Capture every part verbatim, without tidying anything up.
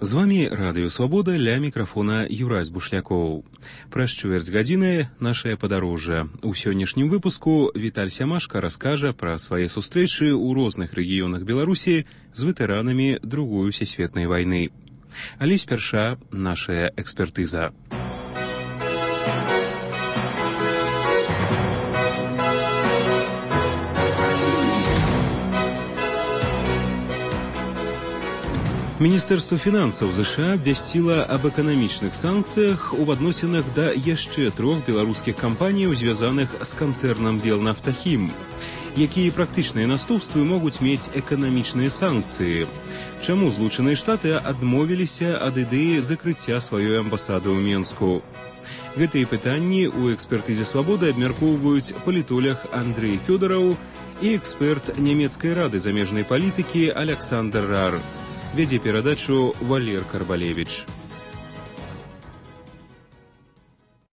З вами Радыё Свабода, ля мікрафона Юрась Бушлякоў. Праз чвэрць гадзіны нашае падарожжа. У сённяшнім выпуску Віталь Сямашка раскажа пра свае сустрэчы ў розных рэгіёнах Беларусі з ветэранамі Другой сусветнай вайны. Але спярша нашая экспертыза. Міністэрства фінансаў ЗША абвясціла аб эканамічных санкцыях у адносінах да яшчэ трох беларускіх кампаніяў, звязаных з канцэрнам Белнафтахім. Якія практычныя наступствы могуць мець эканамічныя санкцыі? Чаму Злучаныя Штаты адмовіліся ад ідэі закрыцця сваёй амбасады ў Менску? Гэтыя пытанні ў экспертызе «Свабоды» абмяркоўваюць палітолог Андрэй Фёдараў і эксперт нямецкай рады замежнай палітыкі Александр Рар. Вядзе перадачу Валер Карбалевіч.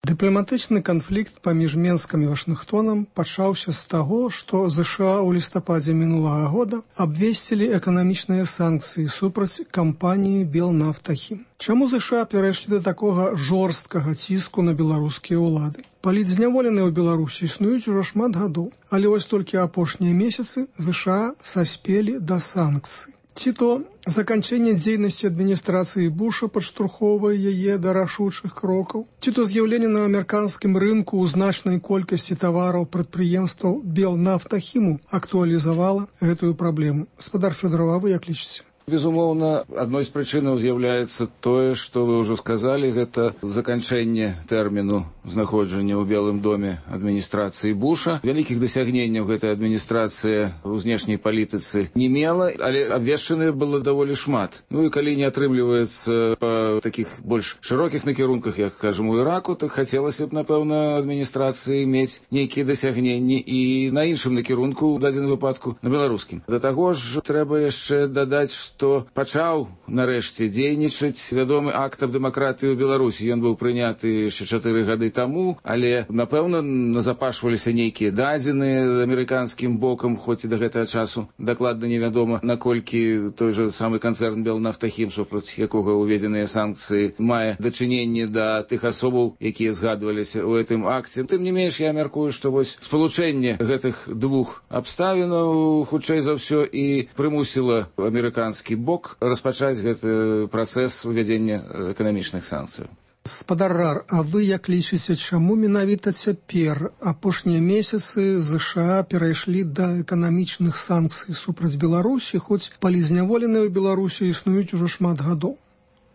Дыпламатычны канфлікт паміж Менскам і Вашынгтонам пачаўся з таго, што ЗША ў лістападзе мінулага года абвесцілі эканамічныя санкцыі супраць кампаніі Белнафтахім. Чаму ЗША перайшлі да такога жорсткага ціску на беларускія ўлады? Палітзняволеныя ў Беларусі існуюць ужо шмат гадоў, але вось толькі апошнія месяцы ЗША саспелі да санкцый. Ці то заканчэнне дзейнасці адміністрацыі Буша падштурхоўвае яе да рашучых крокаў, ці то з'яўленне на амерыканскім рынку ў значнай колькасці тавараў прадпрыемстваў Белнафтахіму актуалізавала гэтую праблему. Гаспадар Фёдараў, а вы як лічыце? Безумоўна, адной з прычынаў з'яўляецца тое, што вы ўжо сказалі, гэта заканчэнне тэрміну знаходжання ў Белым доме адміністрацыі Буша. Вялікіх дасягненняў гэтая адміністрацыя ў знешняй палітыцы не мела, але абвешчаны было даволі шмат. Ну і калі не атрымліваецца па такіх больш шырокіх накірунках, як, кажам, у Іраку, так хацелася б, напэўна, адміністрацыі мець нейкія дасягненні і на іншым накірунку, у дадзеным выпадку, на беларускім. Да таго ж, трэба яшчэ дадаць, што пачаў нарэшце дзейнічаць вядомы акт аб дэмакратыі ў Беларусі. Ён быў прыняты яшчэ чатыры гады таму, але, напэўна, назапашваліся нейкія дадзеныя амерыканскім бокам, хоць і да гэтага часу дакладна невядома, наколькі той жа самы канцэрн Белнафтахім, супраць якога ўведзеныя санкцыі, мае дачыненне да тых асобаў, якія згадваліся ў гэтым акце. Тым не менш, я мяркую, што вось спалучэнне гэтых двух абставінаў хутчэй за ўсё і прымусіла амерыканскі бок распачаць гэты працэс увядзення эканамічных санкцыяў. Гаспадар Рар, а вы як лічыце, чаму менавіта цяпер апошнія месяцы ЗША перайшлі да эканамічных санкцый супраць Беларусі, хоць палітзняволеныя ў Беларусі існуюць ужо шмат гадоў?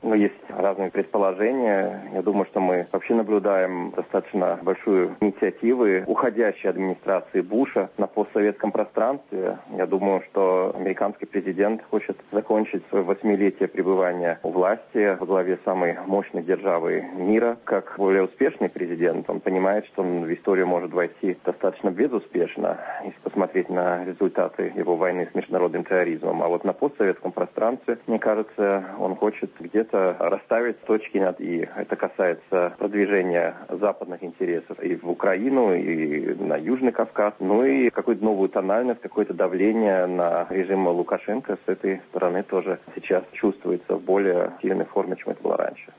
Ну, есть разные предположения. Я думаю, что мы вообще наблюдаем достаточно большую инициативу уходящей администрации Буша на постсоветском пространстве. Я думаю, что американский президент хочет закончить свое восьмилетие пребывания у власти во главе самой мощной державы мира. Как более успешный президент, он понимает, что он в историю может войти достаточно безуспешно, если посмотреть на результаты его войны с международным терроризмом. А вот на постсоветском пространстве, мне кажется, он хочет где-то расставить точки над «и». Это касается продвижения западных интересов и в Украину, и на Южный Кавказ, ну и какую-то новую тональность, какое-то давление на режим Лукашенко с этой стороны тоже сейчас чувствуется в более сильной форме, чем это было раньше.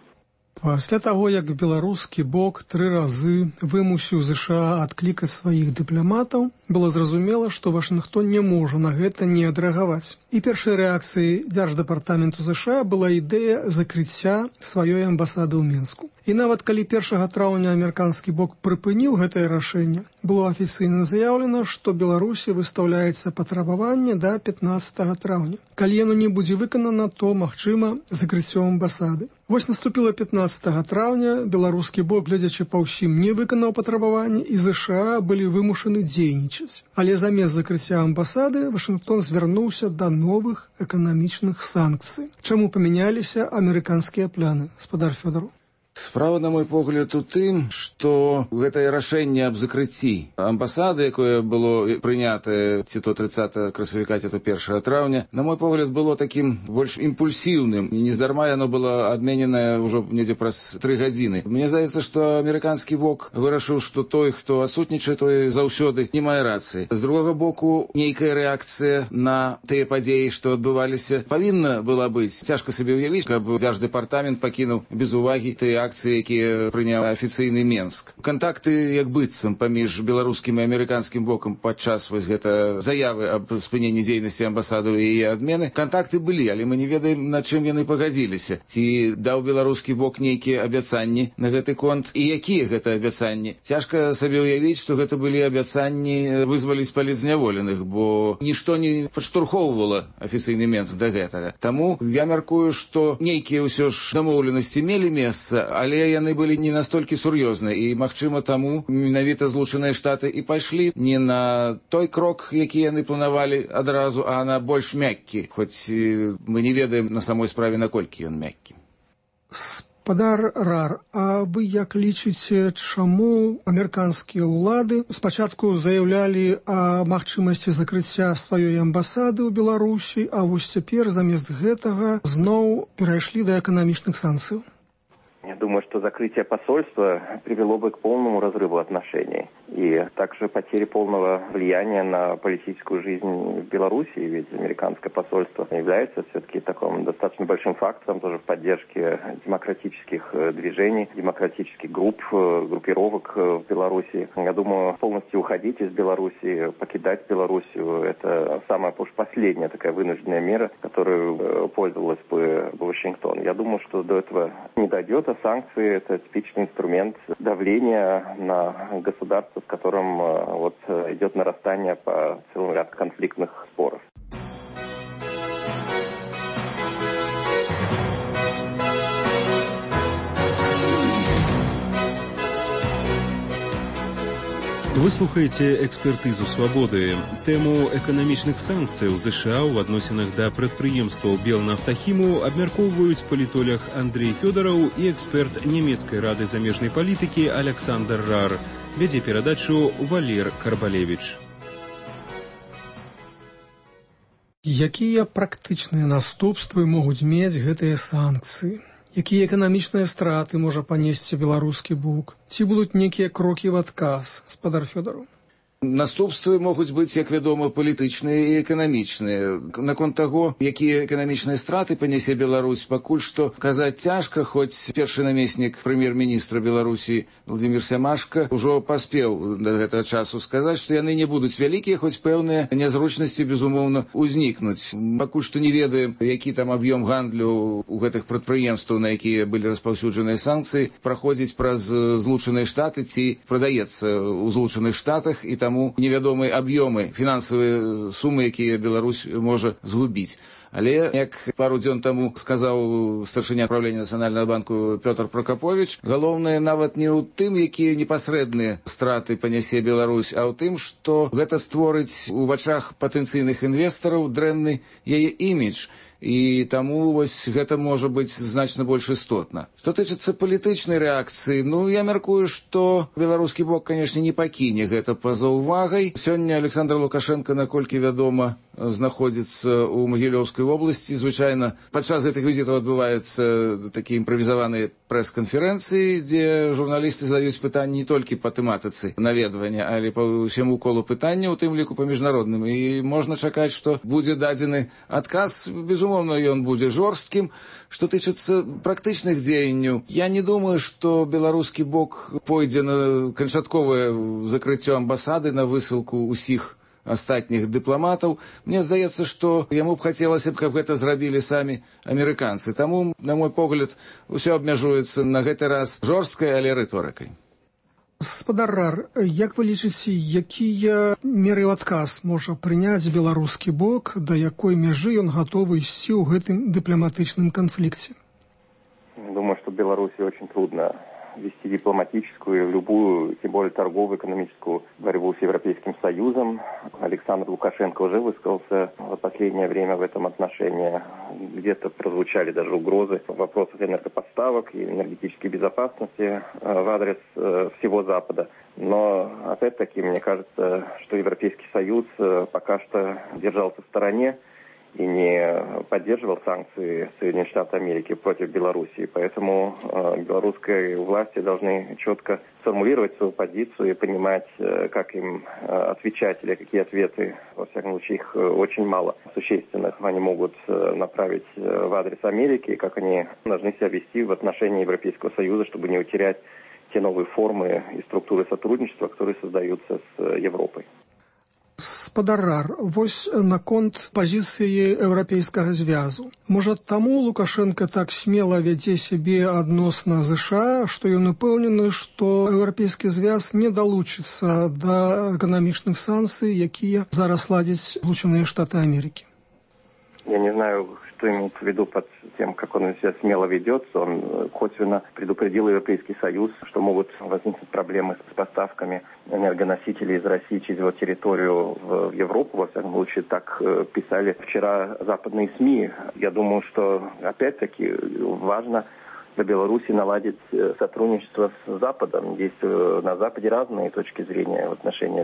Пасля таго, як беларускі бок тры разы вымусіў ЗША адклікаць сваіх дыпламатаў, было зразумела, што Вашынгтон не можа на гэта не адрэагаваць. І першай рэакцыяй дзярждэпартаменту ЗША была ідэя закрыцця сваёй амбасады ў Менску. І нават калі першага траўня амерыканскі бок прыпыніў гэтае рашэнне, было афіцыйна заяўлена, што Беларусі выстаўляецца патрабаванне да пятнаццатага траўня. Калі яно не будзе выканана, то, магчыма, закрыццё амбасады. Вось наступіла пятнаццатага траўня, беларускі бок, глядзячы па ўсім, не выканаў патрабаванне, і ЗША былі вымушаны дзейнічаць. Але замест закрыцця амбасады Вашынгтон звярнуўся да новых эканамічных санкцый. Чаму памяняліся амерыканскія пляны, гаспадар Фёдараў? Справа, на мой погляд, у тым, што гэтае рашэнне аб закрыцці амбасады, якое было прынятае ці то тридцатого красавіка, ці то першага траўня, на мой погляд, было такім больш імпульсіўным. Нездарма яно было адмененае ўжо недзе праз тры гадзіны. Мне здаецца, што амерыканскі бок вырашыў, што той, хто адсутнічае, той заўсёды не мае рацыі. З другога боку, нейкая рэакцыя на тыя падзеі, што адбываліся, павінна была быць. Цяжка сабе ўявіць, каб дзярждэпартамент пакінуў без увагі тыя акцыі, якія прыняў афіцыйны Менск. Кантакты як быццам паміж беларускім і амерыканскім бокам падчас вось гэта заявы аб спыненні дзейнасці амбасады і яе адмены. Кантакты былі, але мы не ведаем, на чым яны пагадзіліся. Ці даў беларускі бок нейкія абяцанні на гэты конт і якія гэта абяцанні. Цяжка сабе ўявіць, што гэта былі абяцанні вызваліць палітзняволеных, бо нішто не падштурхоўвала афіцыйны Менск да гэтага. Таму я мяркую, што нейкія ўсё ж дамоўленасці мелі месца, але яны былі не настолькі сур'ёзныя, і, магчыма, таму менавіта Злучаныя Штаты і пайшлі не на той крок, які яны планавалі адразу, а на больш мяккі, хоць мы не ведаем на самой справе, наколькі ён мяккі. Спадар Рар, а вы як лічыце, чаму амерыканскія ўлады спачатку заяўлялі о магчымасці закрыцця сваёй амбасады ў Беларусі, а вось цяпер замест гэтага зноў перайшлі да эканамічных санкцый? Я думаю, что закрытие посольства привело бы к полному разрыву отношений и также потере полного влияния на политическую жизнь в Беларуси, ведь американское посольство является все-таки таким достаточно большим фактором тоже в поддержке демократических движений, демократических групп, группировок в Беларуси. Я думаю, полностью уходить из Беларуси, покидать Белоруссию, это самая уж последняя такая вынужденная мера, которую пользовалась бы Вашингтон. Я думаю, что до этого не дойдет, а санкции – это типичный инструмент давления на государство, с которым вот идет нарастание по целому ряду конфликтных споров. Вы слухаеце экспертызу свабоды. Тэму эканамічных санкцыяў ЗША ў адносінах да прадпрыемстваў Белнафтахіму абмяркоўваюць палітолог Андрей Фёдораў і эксперт нямецкай рады замежнай палітыкі Александр Рар. Вядзе перадачу Валер Карбалевіч. Якія практычныя наступствы могуць мець гэтыя санкцыі? Якія эканамічныя страты можа панесці беларускі бок? Ці будуць нейкія крокі в адказ, спадар Фёдораў? Наступствы могуць быць, як вядома, палітычныя і эканамічныя. Наконт таго, якія эканамічныя страты панясе Беларусь, пакуль што казаць цяжка, хоць першы намеснік прэм'ер-міністра Беларусі Владимир Сямашка ўжо паспеў да гэтага часу сказаць, што яны не будуць вялікія, хоць пэўныя нязручнасці, безумоўна, узнікнуць. Пакуль што не ведаем, які там аб'ём гандлю у гэтых прадпрыемстваў, на якія былі распаўсюджаныя санкцыі, праходзіць праз Злучаныя Штаты ці прадаецца ў Злучаных Штатах, і там таму невядомыя аб'ёмы, фінансавыя сумы, якія Беларусь можа згубіць. Але, як пару дзён таму сказаў старшыня правлення Нацыянальнага банку Пётр Прокапович, галоўнае нават не ў тым, якія непасрэдныя страты панясе Беларусь, а ў тым, што гэта створыць у вачах патэнцыйных інвестараў дрэнны яе імідж. І таму вось гэта можа быць значна больш істотна. Што тычыцца палітычнай рэакцыі, ну, я мяркую, што беларускі бок, канешне, не пакіне гэта па-за ўвагай. Сёння Александр Лукашенко, наколькі вядома, знаходзіцца ў Магілёўскай вобласці. Звычайна, падчас гэтых візітаў адбываюцца такія імправізаваныя прэс-канферэнцыі, дзе журналісты задаюць пытанні не толькі па тэматыцы наведвання, але па ўсяму колу пытання, у тым ліку па міжнародным. І можна чакаць, што будзе дадзены адказ, безумоўна, ён будзе жорсткім. Што тычыцца практычных дзеянняў, я не думаю, што беларускі бок пойдзе на канчатковае закрыццё амбасады, на высылку ўсіх астатніх дыпламатаў. Мне здаецца, што яму б хацелася, каб гэта зрабілі самі амерыканцы. Таму, на мой погляд, усё абмяжуецца на гэты раз жорсткай, але рыторыкай. Спадар Рар, як вы лічыце, якія меры ў адказ можа прыняць беларускі бок, да якой мяжы ён гатовы ісці ў гэтым дыпламатычным канфлікце? Думаю, что Беларуси очень трудно вести дипломатическую, любую, тем более торговую, экономическую борьбу с Европейским Союзом. Александр Лукашенко уже высказался в последнее время в этом отношении. Где-то прозвучали даже угрозы в вопросах энергопоставок и энергетической безопасности в адрес всего Запада. Но, опять-таки, мне кажется, что Европейский Союз пока что держался в стороне и не поддерживал санкции Соединенных Штатов Америки против Белоруссии. Поэтому э, белорусские власти должны четко сформулировать свою позицию и понимать, э, как им э, отвечать или какие ответы, во всяком случае, их очень мало существенных, они могут э, направить э, в адрес Америки, и как они должны себя вести в отношении Европейского Союза, чтобы не утерять те новые формы и структуры сотрудничества, которые создаются с Европой. Спадарар, вось наконт пазіцыі еўрапейскага звязу. Можа, таму Лукашенко так смела вядзе сябе адносна ЗША, што ён упэўнены, што еўрапейскі звяз не далучыцца да эканамічных санкцый, якія зараз ладзяць Злучаныя Штаты Америки. Я не знаю, что имеется в виду под тем, как он себя смело ведется. Он косвенно предупредил Европейский Союз, что могут возникнуть проблемы с поставками энергоносителей из России через его территорию в Европу. Во всяком случае, так писали вчера западные СМИ. Я думаю, что опять-таки важно для Беларуси наладить сотрудничество с Западом. Есть на Западе разные точки зрения в отношении